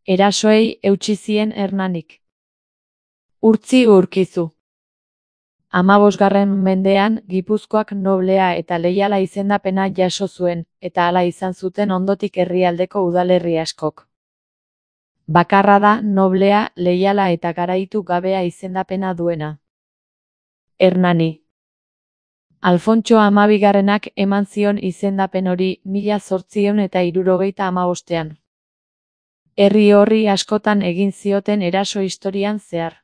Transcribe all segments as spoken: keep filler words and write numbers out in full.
Erasoei eutsi zien Hernanik. Urtzi Urkizu. Hamabosgarren mendean Gipuzkoak noblea eta leiala izendapena jaso zuen, eta hala izan zuten ondotik herrialdeko udalerri askok. Bakarra da noblea, leiala eta garaitu gabea izendapena duena. Hernani. Alfontso hamabigarrenak eman zion izendapen hori mila zortziehun eta hirurogeita hamabostean. Herri horri askotan egin zioten eraso historian zehar.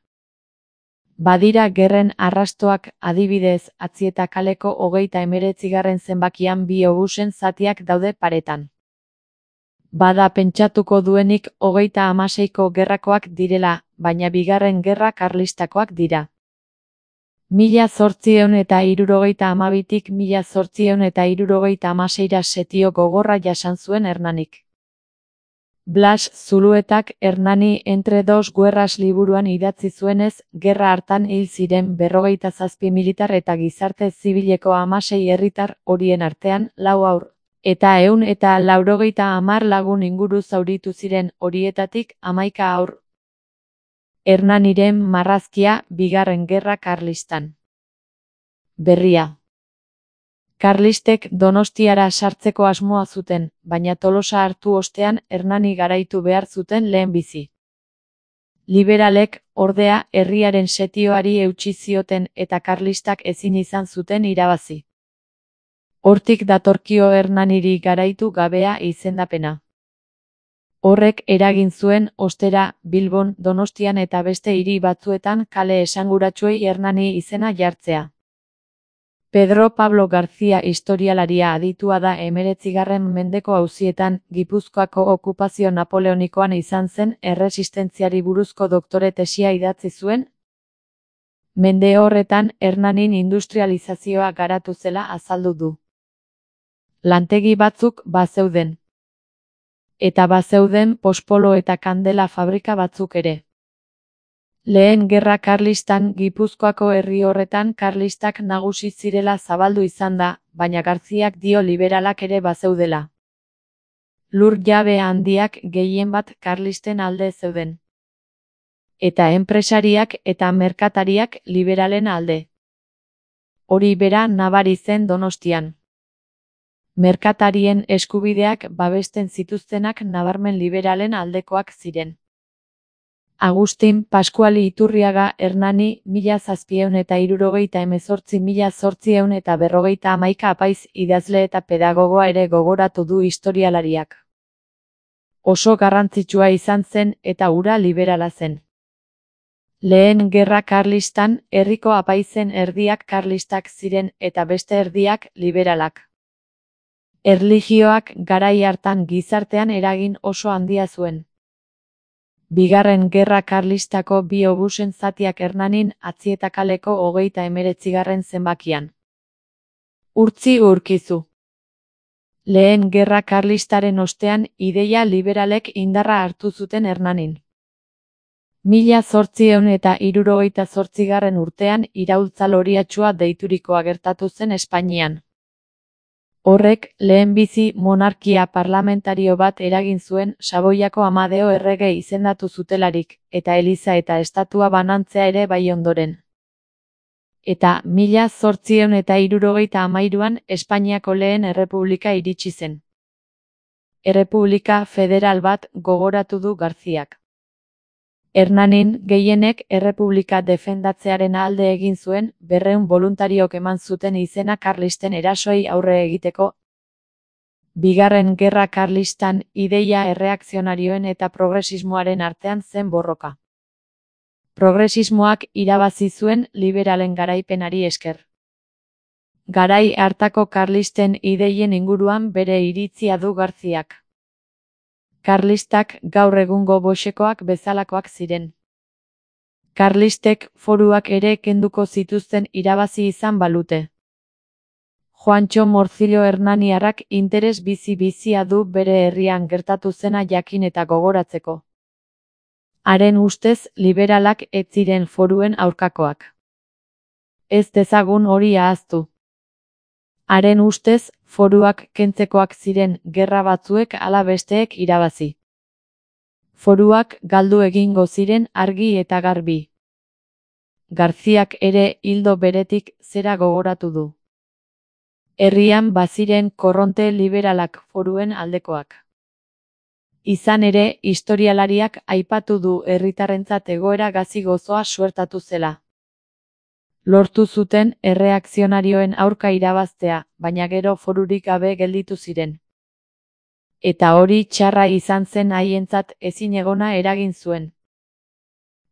Badira gerren arrastoak, adibidez, Atzieta kaleko hogeita hemeretzigarren zenbakian bi obusen zatiak daude paretan. Bada pentsatuko duenik hogeita hamaseiko gerrakoak direla, baina bigarren gerra karlistakoak dira. Mila zortziehun eta hirurogeita hamabitik mila zortziehun eta hirurogeita hamaseira setio gogorra jasan zuen Hernanik. Blas Zuluetak Hernani entre dos guerras liburuan idatzi zuenez, gerra hartan hil ziren berrogeita zazpi militar eta gizarte zibileko hamasei herritar, horien artean lau haur, eta ehun eta laurogeita hamar lagun inguru zauritu ziren, horietatik hamaika haur. Hernaniren marrazkia, bigarren gerra karlistan. Berria. Karlistek Donostiara sartzeko asmoa zuten, baina Tolosa hartu ostean Hernani garaitu behar zuten lehenbizi. Liberalek, ordea, herriaren setioari eutsi zioten eta karlistak ezin izan zuten irabazi. Hortik datorkio Hernaniri garaitu gabea izendapena. Horrek eragin zuen, ostera, Bilbon, Donostian eta beste hiri batzuetan kale esanguratsuei Hernani izena jartzea. Pedro Pablo García historialaria aditua da hemeretzigarren mendeko auzietan, Gipuzkoako okupazio napoleonikoan izan zen erresistentziari buruzko doktore tesia idatzi zuen. Mende horretan Hernanin industrializazioa garatu zela azaldu du. Lantegi batzuk bazeuden. Eta bazeuden pospolo eta kandela fabrika batzuk ere. Lehen gerra karlistan Gipuzkoako herri horretan karlistak nagusi zirela zabaldu izan da, baina Garziak dio liberalak ere bazeudela. Lur jabe handiak gehien bat karlisten alde zeuden. Eta enpresariak eta merkatariak liberalen alde. Hori bera nabari zen Donostian. Merkatarien eskubideak babesten zituztenak nabarmen liberalen aldekoak ziren. Agustin Paskuali Iturriaga Hernani mila zazpiehun eta hirurogeita hemezortzi mila zortziehun eta berrogeita hamaika apaiz idazle eta pedagogoa ere gogoratu du historialariak. Oso garrantzitsua izan zen eta hura liberala zen. Lehen gerra karlistan herriko apaizen erdiak karlistak ziren eta beste erdiak liberalak. Erlijioak garai hartan gizartean eragin oso handia zuen. Bigarren gerra karlistako bi obusen zatiak Hernanin Atzieta kaleko hogeita hemeretzigarren zenbakian. Urtzi Urkizu. Lehen gerra karlistaren ostean ideia liberalek indarra hartu zuten Hernanin. Mila zortziehun eta hirurogeita zortzigarren urtean iraultza loriatsua deiturikoa gertatu zen Espainian. Horrek, lehenbizi monarkia parlamentario bat eragin zuen Saboiako Amadeo errege izendatu zutelarik, eta eliza eta estatua banantzea ere bai ondoren. Eta mila zortziehun eta hirurogeita hamairuan Espainiako lehen errepublika iritsi zen. Errepublika federal bat gogoratu du Garziak. Hernanin gehienek errepublika defendatzearen alde egin zuen, berrehun boluntariok eman zuten izena karlisten erasoei aurre egiteko. Bigarren gerra karlistan ideia erreakzionarioen eta progresismoaren artean zen borroka. Progresismoak irabazi zuen liberalen garaipenari esker. Garai hartako karlisten ideien inguruan bere iritzia du Garziak. Karlistak gaur egungo boxekoak bezalakoak ziren. Karlistek foruak ere kenduko zituzten irabazi izan balute. Juantxo Morcillo Hernaniarrak interes bizi-bizia du bere herrian gertatu zena jakin eta gogoratzeko. Haren ustez liberalak ez ziren foruen aurkakoak. Ez dezagun hori ahaztu. Haren ustez, foruak kentzekoak ziren gerra batzuek ala besteek irabazi. Foruak galdu egingo ziren argi eta garbi. Garziak ere hildo beretik zera gogoratu du. Herrian baziren korronte liberalak foruen aldekoak. Izan ere, historialariak aipatu du herritarrentzat egoera gazi gozoa suertatu zela. Lortu zuten erreakzionarioen aurka irabaztea, baina gero forurik gabe gelditu ziren. Eta hori txarra izan zen haientzat ezinegona eragin zuen.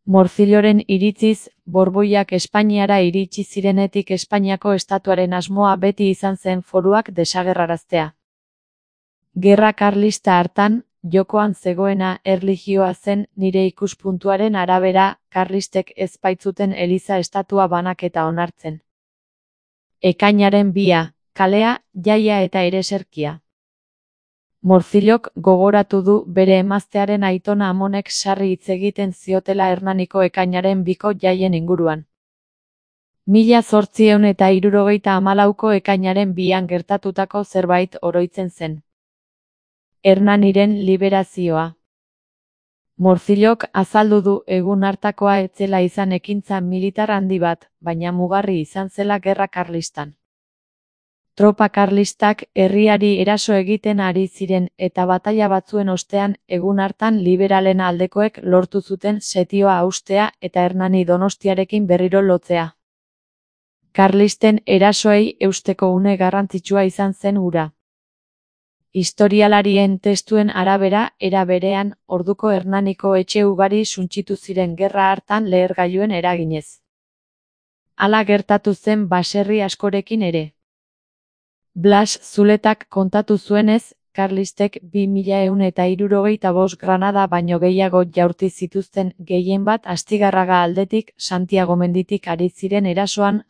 Morcilloren iritziz, Borboiak Espainiara iritsi zirenetik Espainiako estatuaren asmoa beti izan zen foruak desagerraraztea. Gerra karlista hartan, jokoan zegoena erlijioa zen nire ikuspuntuaren arabera, karlistek ez baitzuten eliza estatua banaketa onartzen. Ekainaren bia, kalea, jaia eta ereserkia. Morcillok gogoratu du bere emaztearen aitona amonek sarri hitz egiten ziotela Hernaniko ekainaren biko jaien inguruan. Mila zortziehun eta hirurogeita hamalauko ekainaren bian gertatutako zerbait oroitzen zen. Hernaniren liberazioa. Morcillok azaldu du egun hartakoa ez zela izan ekintza militar handi bat, baina mugarri izan zela gerra karlistan. Tropa karlistak herriari eraso egiten ari ziren eta bataila batzuen ostean egun hartan liberalen aldekoek lortu zuten setioa haustea eta Hernani Donostiarekin berriro lotzea. Karlisten erasoei eusteko une garrantzitsua izan zen hura. Historialarien testuen arabera, era berean, orduko Hernaniko etxe ugari suntsitu ziren gerra hartan lehergailuen eraginez. Hala gertatu zen baserri askorekin ere. Blas Zuletak kontatu zuenez, karlistek bi mila ehun eta hirurogeita bost granada baino gehiago jaurti zituzten gehien bat Astigarraga aldetik Santiago menditik ari ziren erasoan.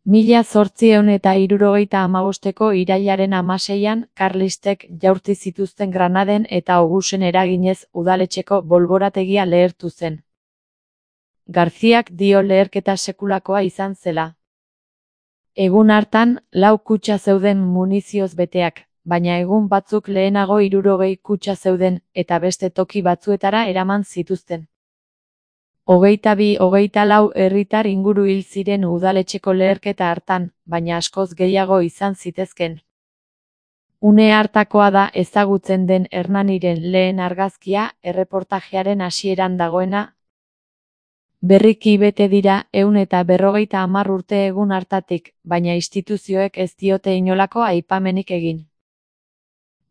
Mila zortziehun eta hirurogeita hamabosteko irailaren hamaseian karlistek jaurti zituzten Granaden eta Obusen eraginez udaletxeko bolborategia lehertu zen. Garziak dio leherketa sekulakoa izan zela. Egun hartan, lau kutxa zeuden munizioz beteak, baina egun batzuk lehenago hirurogei kutxa zeuden, eta beste toki batzuetara eraman zituzten. Hogeita bi hogeita lau herritar inguru hil ziren udaletxeko leherketa hartan, baina askoz gehiago izan zitezken. Une hartakoa da ezagutzen den Hernaniren lehen argazkia, erreportajearen hasieran dagoena. Berriki bete dira ehun eta berrogeita hamar urte egun hartatik, baina instituzioek ez diote inolako aipamenik egin.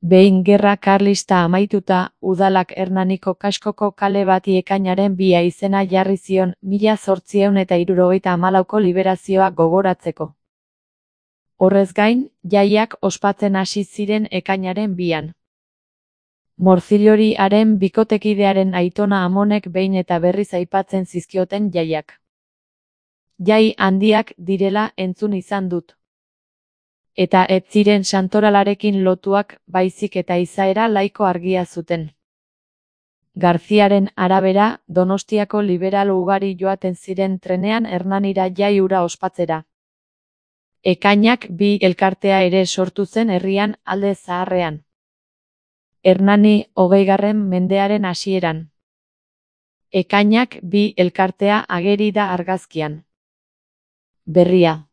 Behin gerra karlista amaituta, udalak Hernaniko kaskoko kale bati ekainaren bia izena jarri zion mila zortziehun eta hirurogeita hamalauko liberazioa gogoratzeko. Horrez gain, jaiak ospatzen hasi ziren ekainaren bian. Morcillori haren bikotekidearen aitona amonek behin eta berriz aipatzen zizkioten jaiak. Jai handiak direla entzun izan dut. Eta ez ziren santoralarekin lotuak baizik eta izaera laiko argia zuten. Garziaren arabera, Donostiako liberal ugari joaten ziren trenean Hernanira jai hura ospatzera. Ekainak bi elkartea ere sortu zen herrian alde zaharrean. Hernani hogeigarren mendearen hasieran. Ekainak bi elkartea ageri da argazkian. Berria.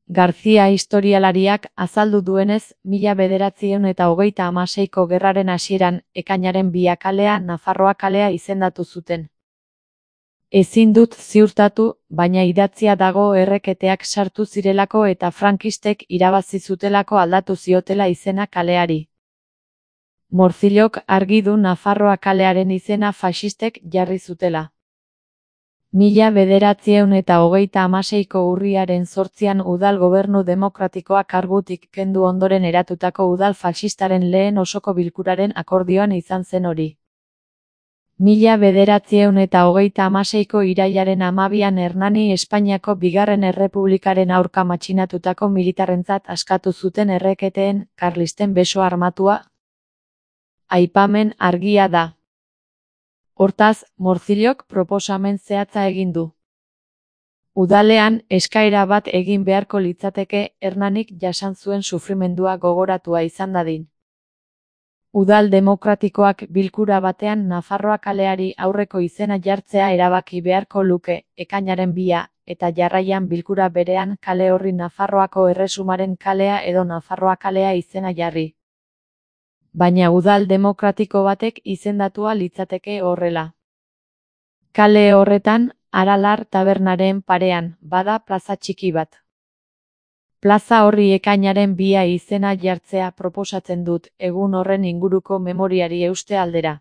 Garzia historialariak azaldu duenez, mila bederatziehun eta hogeita hamaseiko gerraren hasieran, ekainaren bia kalea Nafarroa kalea izendatu zuten. Ezin dut ziurtatu, baina idatzia dago erreketeak sartu zirelako eta frankistek irabazi zutelako aldatu ziotela izena kaleari. Morcillok argi du Nafarroa kalearen izena faxistek jarri zutela. Mila bederatziehun eta hogeita hamaseiko urriaren zortzian udal gobernu demokratikoa kargutik kendu ondoren eratutako udal faxistaren lehen osoko bilkuraren akordioan izan zen hori. Mila bederatziehun eta hogeita hamaseiko irailaren hamabian Hernani Espainiako bigarren errepublikaren aurka matxinatutako militarrentzat askatu zuten erreketeen, karlisten beso armatua. Aipamen argia da. Hortaz, Morcillok proposamen zehatza egin du. Udalean, eskaera bat egin beharko litzateke Hernanik jasan zuen sufrimendua gogoratua izan dadin. Udal demokratikoak bilkura batean Nafarroa kaleari aurreko izena jartzea erabaki beharko luke, ekainaren bia, eta jarraian bilkura berean kale horri Nafarroako Erresumaren kalea edo Nafarroa kalea izena jarri. Baina udal demokratiko batek izendatua litzateke horrela. Kale horretan, Aralar tabernaren parean, bada plaza txiki bat. Plaza horri ekainaren bia izena jartzea proposatzen dut, egun horren inguruko memoriari euste aldera.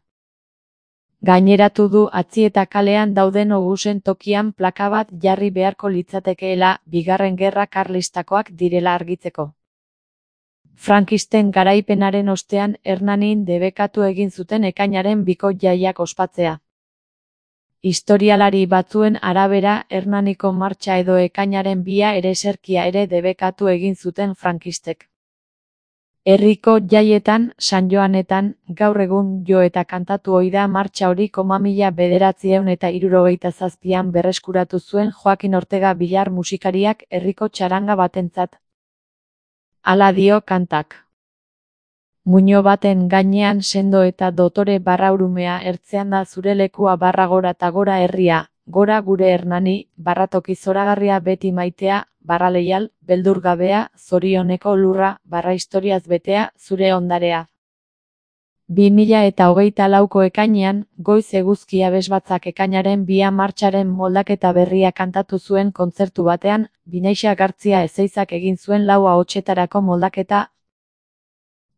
Gaineratu du Atzieta kalean dauden ogusen tokian plaka bat jarri beharko litzatekeela, bigarren gerra karlistakoak direla argitzeko. Frankisten garaipenaren ostean Hernanin debekatu egin zuten ekainaren biko jaiak ospatzea. Historialari batzuen arabera Hernaniko martxa edo ekainaren bia ereserkia ere debekatu egin zuten frankistek. Herriko jaietan, San Joanetan, gaur egun jo eta kantatu ohi da martxa hori koma mila bederatziehun eta hirurogeita zazpian berreskuratu zuen Joakin Ortega Bilar musikariak herriko txaranga batentzat. Hala dio kantak. Muino baten gainean sendo eta dotore barraurumea ertzean da zure lekua barra gora eta gora herria, gora gure Hernani, barratoki zoragarria beti maitea, barra leial, beldur gabea, zorioneko lurra, barra historiaz betea, zure ondarea. bi mila eta hogeita lauko ekainean, goiz eguzki abesbatzak ekainaren bia martxaren moldaketa berria kantatu zuen kontzertu batean, Binaixa Gartzia Ezeizak egin zuen lau ahotsetarako moldaketa.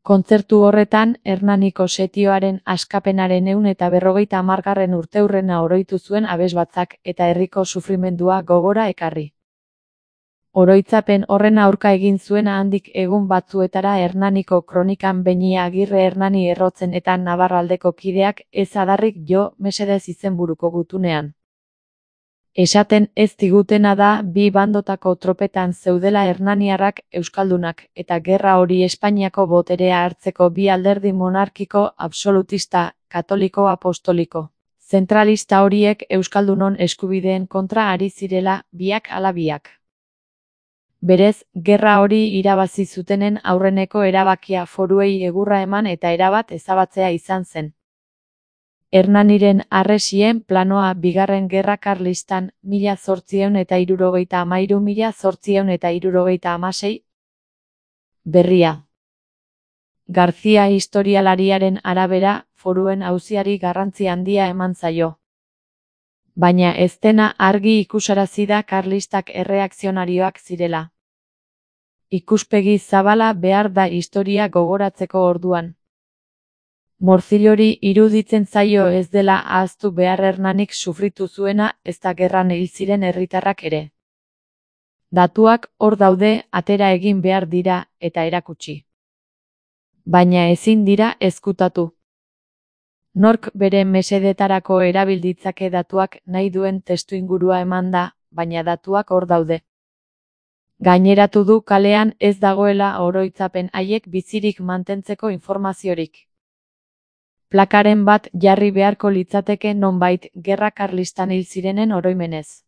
Kontzertu horretan, Hernaniko setioaren askapenaren ehun eta berrogeita hamargarren urteurrena oroitu zuen abesbatzak eta herriko sufrimendua gogora ekarri. Oroitzapen horren aurka egin zuena handik egun batzuetara Hernaniko kronikan Beinia Agirre Hernani errotzen eta Nabarraldeko kideak ez adarrik jo mesedez izenburuko gutunean. Esaten ez digutena da bi bandotako tropetan zeudela hernaniarrak euskaldunak eta gerra hori Espainiako boterea hartzeko bi alderdi monarkiko absolutista, katoliko apostoliko. Zentralista horiek euskaldunon eskubideen kontra ari zirela, biak ala biak. Berez, gerra hori irabazi zutenen aurreneko erabakia foruei egurra eman eta erabat ezabatzea izan zen. Hernaniren harresien planoa bigarren gerra karlistan mila zortziehun eta hirurogeita hamairu mila zortziehun eta hirurogeita hamasei berria. Garzia historialariaren arabera, foruen auziari garrantzi handia eman zaio. Baina ez dena argi ikusarazi da karlistak erreakzionarioak zirela. Ikuspegi zabala behar da historia gogoratzeko orduan. Morzillori iruditzen zaio ez dela ahaztu behar Hernanik sufritu zuena ez da gerran hil ziren herritarrak ere. Datuak hor daude, atera egin behar dira eta erakutsi. Baina ezin dira ezkutatu. Nork bere mesedetarako erabil ditzake datuak nahi duen testuingurua eman da, baina datuak hor daude. Gaineratu du kalean ez dagoela oroitzapen haiek bizirik mantentzeko informaziorik. Plakaren bat jarri beharko litzateke nonbait gerra karlistan hil zirenen oroimenez.